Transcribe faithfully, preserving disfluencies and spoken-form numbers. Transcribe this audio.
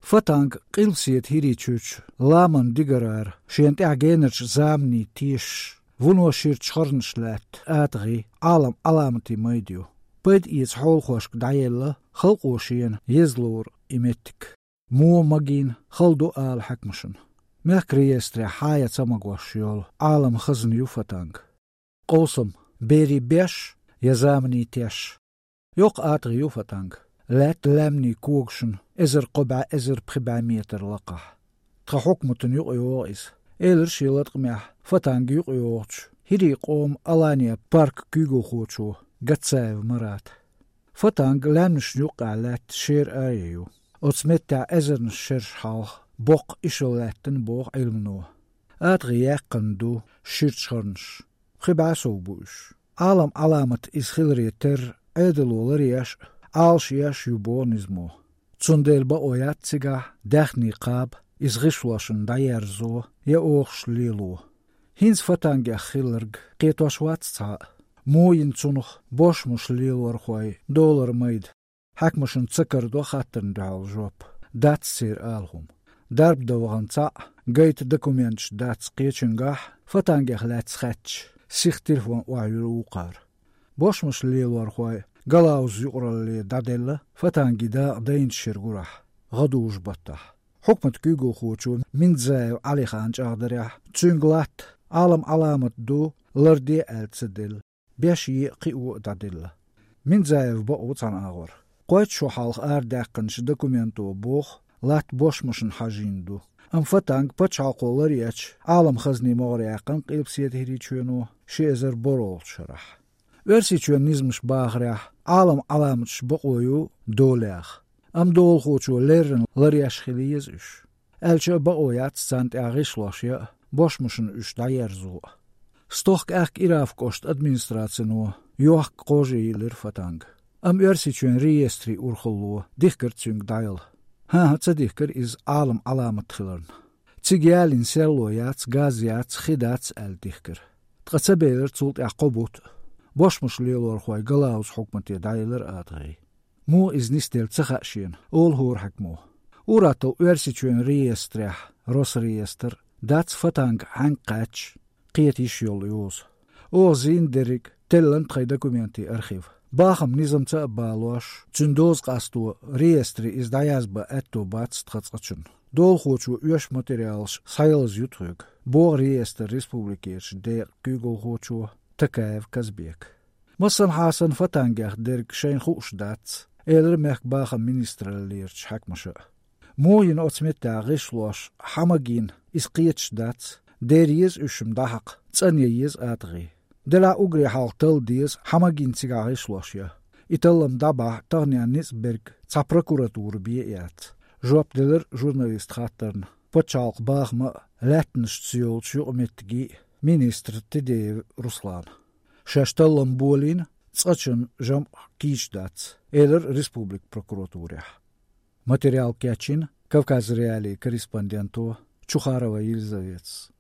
Фатанг Къилбаседа ХӀирийчоьнан ламан дигарара шена тӀехь генарчу заманийн тешаш, вуно ширачу харнаш лаьтта атагӀий Ӏалам Ӏаламатийн майда ю. Пайда эца хьолахошка дӀаелла, халкъо шена еза лору и меттиг. Мо магийна хала ду ала хьаькамашна. Мехкан реестрехь хьан я ца магош йолу Ӏалам хазна ю Фатанг. Къовсам: берийн беш я заманийн теш? Йоккха атагӀий ю Фатанг. Лаьтта лаьмнийн когашна эзар кхо бӀе, эзар пхи бӀе метр лакхахь. Тхан хьукматана юкъайогӀу иза, элира шен латкъамехь Фатанга юкъайогӀучу ХӀирийн къоман Алания паркан куьйгалхочо Гацаев Марата. Фатанг лаьмнашна юккъехь лаьтта шера аре ю. Оцу меттехь эзарнаш шераш хьалха боккха ишал лаьттина боху Ӏилмано. АтагӀий яьккхина ду ширачу харнаш. Пхи бӀе сов бу уьш. Ӏалам Ӏаламат иза хиларе терра, Ӏедало ларъеш а, Ӏалашъеш а ю боху низамо. Цундела бакъо яц цигахь даьхни кхаба, иза гӀишлошна дӀаерзо я охуш лело. ХӀинца Фатангех хилларг кхетош вац цхьа а. Мо йина цунах бошмаш лелорхойн долара майда. Хьаькамашна ца карадо хаттарна дуьхьал жоп. Дац церан ала хӀума. Дарба дан вахана цхьаъ, гайта документаш дац кхечуьнгахь, Фатангех лаьцна хаьттича, сиха телефон охьайуьллу вукхара. Бошмаш лелорхойн Галауза юкъаралле дӀаделла Фатангийн дакъа дайначу шеран гурахь, гӀадужу-баттахь. Хьукматан куьйгалхочо Минзаев Ӏалихана чӀагӀдарехь, цуьнга латта Ӏалам Ӏаламат ду, ларде аьлла ца делла, беш е а, кхио а дӀаделла. Минзаев бакъ ву цхьана агӀор. Кхойтта шо хьалха арадаьккхинчу документо боху, латта бошмашна хьажийна ду. Амма Фатанг пачхьалкхо ларъечу Ӏалам хазнийн могӀаре яьккхина Къилбаседа ХӀирийчоьно ши эзар борхӀалгӀачу шарахь. Оьрсийчоьнан низамаш бахарехь, Ӏалам Ӏаламаташ бакъо ю долаех. Амма долахочо леррина ларъеш хила еза уьш. Аьлча а бакъо яц царна тӀехь гӀишлош ян а, бошмашна уьш дӀаерзо а. Стохка-аьхка Ираф кӀоштан администрацино йохка кхожа йиллира Фатанга. Амма Оьрсийчоьнан реестрийн урхалло дихкира цуьнга дӀаяла. ХӀан-хӀа, ца дихкира иза Ӏалам Ӏаламат хиларна. Цига ялийна серло яц, газ яц, хи дац аьлла дихкира. Ткъа ца белира цул тӀаьхьа кхо бутт а. Бошмаш лелорхойн Галауза хьукмате дӀаелира атагӀий. Муха иза нисделла ца хаьа шена, олу хӀора хьаькамо. Ур-атталла Оьрсийчоьнан реестрехь, Росреестр, дац Фатанг хьаьнга кхаьчча кхета йиш йолу йоза. Оха зийна дерриг теллина тхайн документийн архив. Бахам низамца а балош, цуьнан доза къасто реестре иза дӀаязбан аьтто бац тхан цкъачунна. Долахочо оьшу материалаш схьаялаза ю тхоьга, боху реестран республикерчу декъан куьйгалхочо Такаев Казбека. Массанхьа санна Фатангех дерг шайна хууш дац, элира мехкан бахаман министраллерчу хьаькамаша а. Муха йина оцу меттехь гӀишлош, хьан магийна, иза кхеташ дац, дер еза уьш-м дӀахьакха, цӀанъян еза атагӀий. Делахь уггаре хьалха талла деза, хьан магийна цигахь гӀишлош ян. И таллам дӀабахьа таханенна ницкъ берг цхьа прокуратура бен а яц, жоп делира журналистан хаттарна пачхьалкхан бахаман а, лаьттанаш ца йолчу юкъаметтиган а министра Тедеев Руслана. Шаьш таллам болийна, цкъачунна жамӀ кийча дац, элира республикан прокуратурехь. Материал кечйина Кавказ.Реалиин корреспонденто Чухарова Елизаветас.